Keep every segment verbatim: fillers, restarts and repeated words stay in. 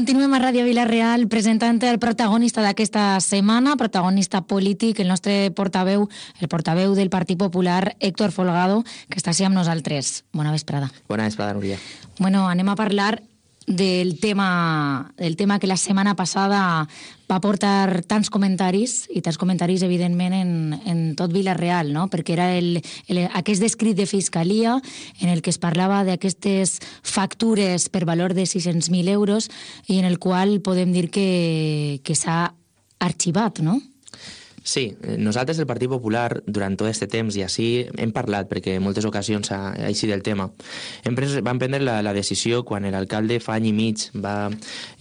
Continuem a Ràdio Vila-real presentant el protagonista d'aquesta setmana, protagonista polític, el nostre portaveu, el portaveu del Partit Popular, Héctor Folgado, que està així amb nosaltres. Bona vesprada. Bona vesprada, Núria. Bueno, anem a parlar del tema, del tema que la setmana passada va portar tants comentaris, i tants comentaris, evidentment, en, en tot Vila-real, no? Perquè era el, el, aquest descrit de Fiscalia en el que es parlava d'aquestes factures per valor de sis-cents mil euros i en el qual podem dir que, que s'ha arxivat, no? Sí, nosaltres del Partit Popular durant tot aquest temps, i així hem parlat perquè en moltes ocasions ha així del tema, hem pres, vam prendre la, la decisió quan l'alcalde fa any i mig va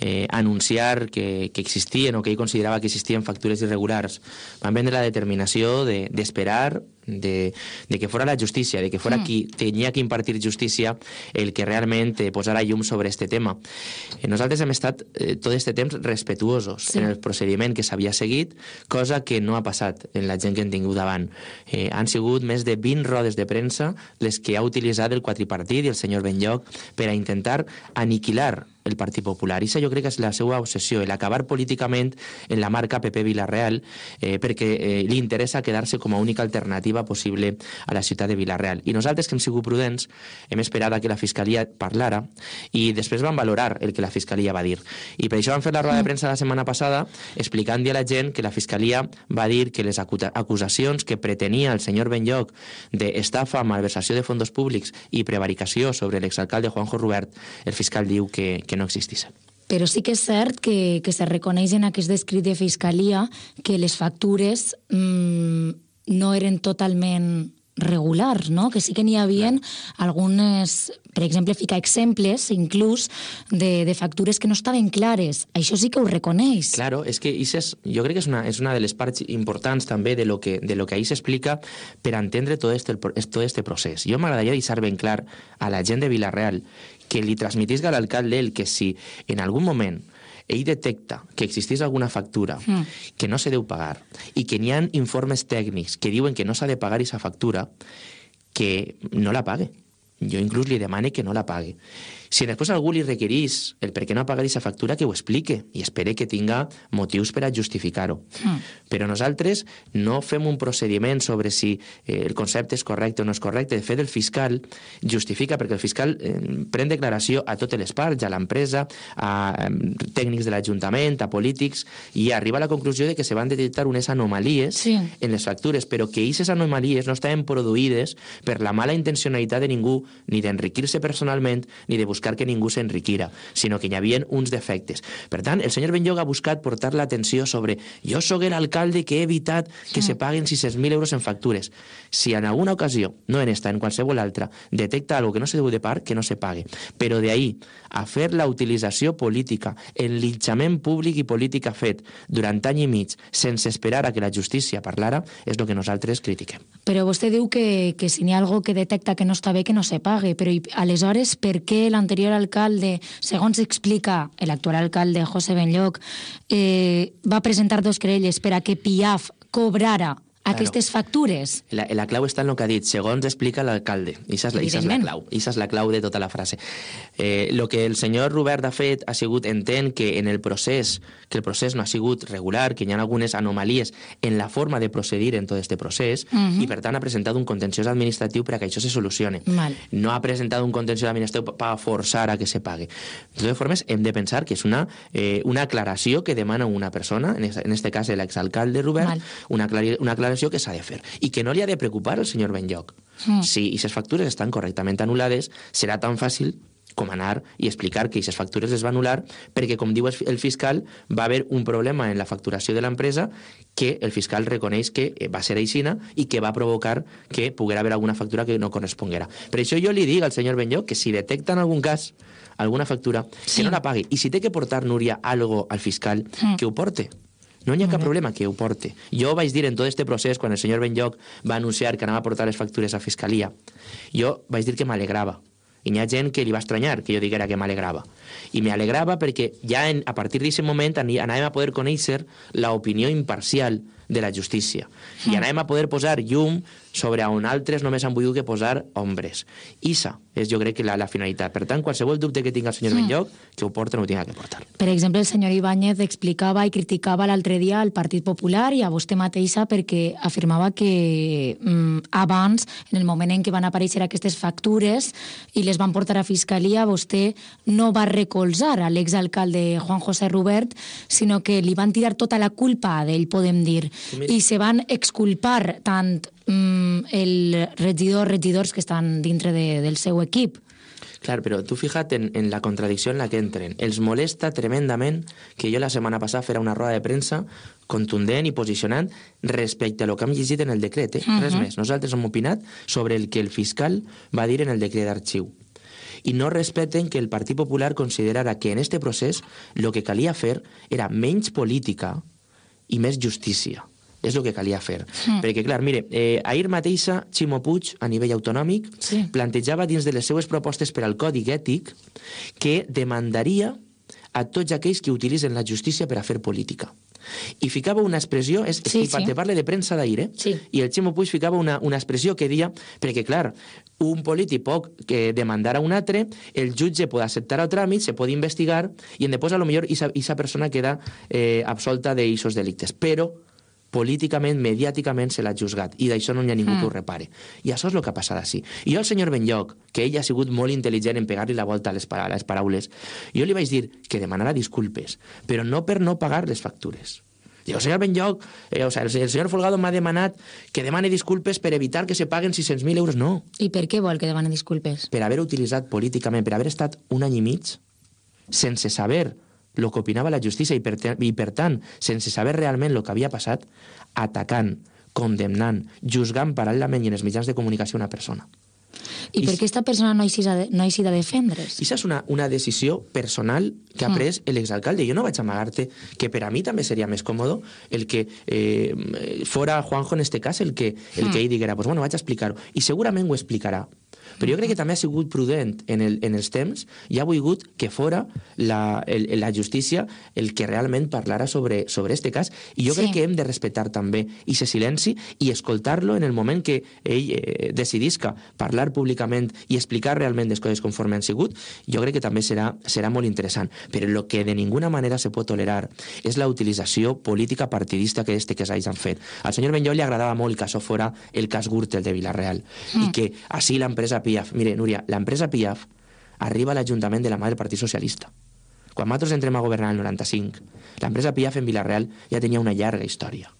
eh, anunciar que, que existien o que ell considerava que existien factures irregulars. Vam prendre la determinació de, d'esperar de, de que fora la justícia, de que fora mm. qui tenia que impartir justícia el que realment eh, posara llum sobre este tema. Eh, nosaltres hem estat eh, tot este temps respetuosos sí. en el procediment que s'havia seguit, cosa que no ha passat en la gent que hem tingut davant. Eh, han sigut més de vint rodes de premsa les que ha utilitzat el quadripartit i el senyor Benlloch per a intentar aniquilar el Partit Popular. I això jo crec que és la seva obsessió, l'acabar políticament en la marca P P Vila-real, eh, perquè eh, li interessa quedar-se com a única alternativa possible a la ciutat de Vila-real. I nosaltres, que hem sigut prudents, hem esperat a que la Fiscalia parlara i després vam valorar el que la Fiscalia va dir. I per això vam fer la roda de premsa la setmana passada explicant-li a la gent que la Fiscalia va dir que les acusacions que pretenia el senyor Benlloch d'estafa, malversació de fons públics i prevaricació sobre l'exalcalde Juanjo Rubert, el fiscal diu que que no existissin. Però sí que és cert que, que se reconeix en aquest descrit de Fiscalia que les factures mmm, no eren totalment regulars, no? Que sí que n'hi havia algunes, per exemple, ficar exemples inclús de, de factures que no estaven clares. Això sí que ho reconeix. Claro, és que és, jo crec que és una, és una de les parts importants també de lo que, de lo que ahí s'explica per entendre tot este, tot este procés. Jo m'agradaria deixar ben clar a la gent de Vila-real que li transmitisca a l'alcalde el que si en algun moment ell detecta que existís alguna factura mm. que no se deu pagar i que n'hi ha informes tècnics que diuen que no s'ha de pagar aquesta factura, que no la pague. Jo inclús li demane que no la pague. Si després algú li requerís el per què no ha pagat aquesta factura, que ho explique i espere que tinga motius per a justificar-ho. Mm. Però nosaltres no fem un procediment sobre si eh, el concepte és correcte o no és correcte. De fet, el fiscal justifica, perquè el fiscal eh, pren declaració a totes les parts, a l'empresa, a eh, tècnics de l'Ajuntament, a polítics, i arriba a la conclusió de que se van detectar unes anomalies sí. en les factures, però que aquestes anomalies no estaven produïdes per la mala intencionalitat de ningú, ni d'enriquir-se personalment, ni de buscar que ningú s'enriquira, sinó que hi havia uns defectes. Per tant, el senyor Benlloch ha buscat portar l'atenció sobre jo soc l'alcalde que he evitat que sí. se paguen sis-cents mil euros en factures. Si en alguna ocasió, no en esta, en qualsevol altra, detecta algo que no se deu de pagar, que no se pague. Però de ahí a fer la utilització política, el linxament públic i polític fet durant any i mig, sense esperar a que la justícia parlara, és el que nosaltres critiquem. Però vostè diu que, que si n'hi ha algo que detecta que no està bé, que no se pague. Però aleshores, per què l'anterior alcalde, segons explica l'actual alcalde José Benlloch, eh, va presentar dos querelles per a que Piaf cobrara aquestes claro. factures? La, la clau està en el que ha dit, segons explica l'alcalde. Ixa és, és la clau. Ixa és la clau de tota la frase. Eh, lo que el senyor Rubert ha fet ha sigut, entén que en el procés, que el procés no ha sigut regular, que hi ha algunes anomalies en la forma de procedir en tot este procés, uh -huh. i per tant ha presentat un contenciós administratiu per a que això se solucione. Mal. No ha presentat un contenciós administratiu per forçar a que se pague. De totes formes, hem de pensar que és una, eh, una aclaració que demana una persona, en este, en este cas l'exalcalde Rubert, Mal. una, una aclaració que s'ha de fer i que no li ha de preocupar al senyor Benlloch. Mm. Si aquestes factures estan correctament anul·lades, serà tan fàcil com anar i explicar que aquestes factures les va anul·lar perquè, com diu el fiscal, va haver un problema en la facturació de l'empresa que el fiscal reconeix que va ser aixina i que va provocar que poguera haver alguna factura que no corresponguera. Per això jo li dic al senyor Benlloch que si detecta en algun cas alguna factura, sí. que no la pagui. I si té que portar, Núria, algo al fiscal, mm. que ho porte. No hi ha cap problema que ho porte. Jo vaig dir en tot este procés, quan el senyor Benlloch va anunciar que anava a portar les factures a Fiscalia, jo vaig dir que m'alegrava. I hi ha gent que li va estranyar que jo diguera que m'alegrava. I m'alegrava perquè ja en, a partir d'aquest moment anàvem a poder conèixer l'opinió imparcial de la justícia. I anem a poder posar llum sobre on altres només han volgut que posar ombres. Issa és, jo crec, que la, la finalitat. Per tant, qualsevol dubte que tinga el senyor mm. Benlloch, que ho porta no ho tinga que portar. Per exemple, el senyor Ibáñez explicava i criticava l'altre dia el Partit Popular i a vostè mateixa perquè afirmava que mm, abans, en el moment en què van aparèixer aquestes factures i les van portar a Fiscalia, vostè no va recolzar a l'exalcalde Juan José Rubert, sinó que li van tirar tota la culpa a ell, podem dir, sí, i se van exculpar tant mm, el regidor, regidors que estan dintre de, del seu equip. Clar, però tu fija't en, en la contradicció en la que entren. Els molesta tremendament que jo la setmana passada fera una roda de premsa contundent i posicionant respecte a lo que hem llegit en el decret. Eh? Uh -huh. Res més. Nosaltres hem opinat sobre el que el fiscal va dir en el decret d'arxiu. I no respecten que el Partit Popular considerara que en este procés el que calia fer era menys política i més justícia. És el que calia fer. Mm. Perquè, clar, mire, eh, ahir mateixa Ximo Puig, a nivell autonòmic, sí. plantejava dins de les seues propostes per al Còdic Ètic que demandaria a tots aquells que utilitzen la justícia per a fer política. I ficava una expressió, és, sí, és que sí. te parle de premsa d'ahir, eh? Sí. I el Ximo Puig ficava una, una expressió que deia, perquè, clar, un polític pot que demandar a un altre, el jutge pot acceptar el tràmit, se pot investigar, i en després, a lo millor, aquesta persona queda eh, absolta d'eixos delictes. Però políticament, mediàticament se l'ha juzgat i d'això no hi ha ningú mm. que ho repare. I això és el que ha passat així. I jo al senyor Benlloch, que ell ha sigut molt intel·ligent en pegar-li la volta a les, a les paraules, jo li vaig dir que demanarà disculpes, però no per no pagar les factures. Diu, el senyor Benlloch, eh, o sea, el, el senyor Folgado m'ha demanat que demane disculpes per evitar que se paguen sis-cents mil euros. No. I per què vol que demane disculpes? Per haver utilitzat políticament, per haver estat un any i mig sense saber el que opinava la justícia i per, i, per tant, sense saber realment el que havia passat, atacant, condemnant, juzgant paral·lelament i en els mitjans de comunicació una persona. I, I per què aquesta persona no ha eixit a, de, no a defendre's? Això és una, una decisió personal que ha pres mm. l'exalcalde. Jo no vaig amagar-te que per a mi també seria més còmodo el que eh, fora Juanjo en este cas el que, el mm. que ell diguera, pues bueno, vaig a explicar-ho. I segurament ho explicarà. Però jo crec que també ha sigut prudent en, el, en els temps i ha volgut que fora la, el, la justícia el que realment parlara sobre, sobre este cas. I jo sí. crec que hem de respectar també aquest silenci i escoltar-lo en el moment que ell eh, decidisca parlar públicament i explicar realment les coses conforme han sigut. Jo crec que també serà, serà molt interessant. Però el que de ninguna manera se pot tolerar és la utilització política partidista que este que s'hagi fet. Al senyor Benlloch li agradava molt que això fora el cas Gürtel de Vila-real mm. i que així l'empresa Piaf. Mire, Núria, l'empresa Piaf arriba a l'Ajuntament de la mà del Partit Socialista. Quan nosaltres entrem a governar el noranta-cinc, l'empresa Piaf en Vila-real ja tenia una llarga història.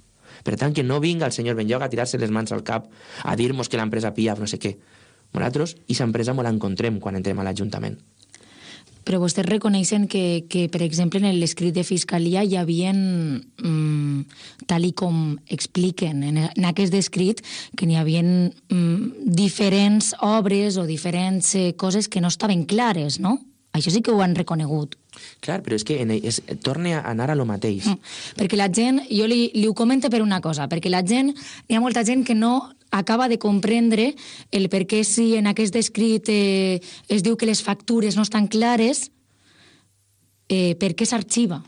Per tant, que no vinga el senyor Benlloch a tirar-se les mans al cap a dir-nos que l'empresa Piaf no sé què. Nosaltres, i aquesta empresa me l'encontrem quan entrem a l'Ajuntament. Però vostès reconeixen que, que per exemple, en l'escrit de Fiscalia hi havia, mm, tal i com expliquen en, en aquest escrit, que n'hi havia mm, diferents obres o diferents eh, coses que no estaven clares, no? Això sí que ho han reconegut. Clar, però és que en, és, torna a anar a lo mateix. Mm, perquè la gent, jo li, li ho comento per una cosa, perquè la gent, hi ha molta gent que no acaba de comprendre el per què si en aquest escrit eh, es diu que les factures no estan clares, eh, per què s'arxiva.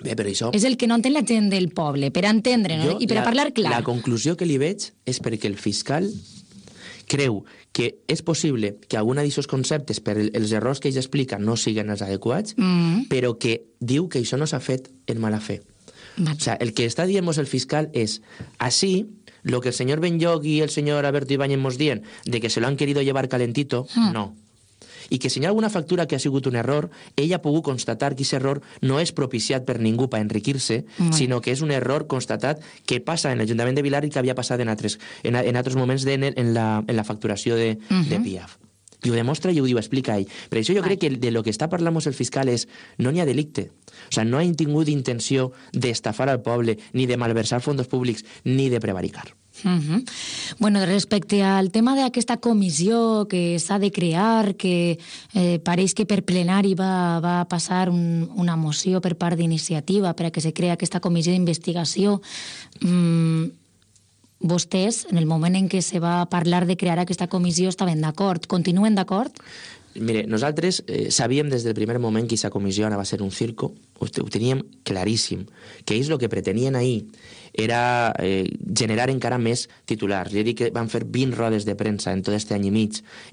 Bé, però això... És el que no entén la gent del poble, per entendre, no? Jo, I per la, a parlar clar. La conclusió que li veig és perquè el fiscal creu que és possible que alguna d'aquests conceptes, per els errors que ell explica, no siguin els adequats, mm. però que diu que això no s'ha fet en mala fe. Vale. O sea, el que està dient el fiscal és, així, lo que el señor Benlloch y el señor Alberto Ibáñez nos dien de que se lo han querido llevar calentito, mm. no. I que si hi ha alguna factura que ha sigut un error, ell ha pogut constatar que aquest error no és propiciat per ningú per enriquir-se, mm. sinó que és un error constatat que passa en l'Ajuntament de Vilar i que havia passat en altres, en, en altres moments de, en, la, en la facturació de, mm-hmm. de Piaf. I ho demostra i ho diu, explica ell. Per això jo crec que de lo que està parlant el fiscal és no n'hi ha delicte. O sigui, no han tingut intenció d'estafar al poble, ni de malversar fons públics, ni de prevaricar. Uh-huh. Bueno, respecte al tema d'aquesta comissió que s'ha de crear, que eh, pareix que per plenari va, va passar un, una moció per part d'iniciativa per a que se crea aquesta comissió d'investigació, mm, vostès, en el moment en què se va parlar de crear aquesta comissió, estaven d'acord? Continuen d'acord? Mire, nosaltres eh, sabíem des del primer moment que aquesta comissió anava a ser un circo, ho, ho teníem claríssim, que ells el que pretenien ahir era eh, generar encara més titulars. Jo he dit que van fer vint rodes de premsa en tot aquest any i mig. Ells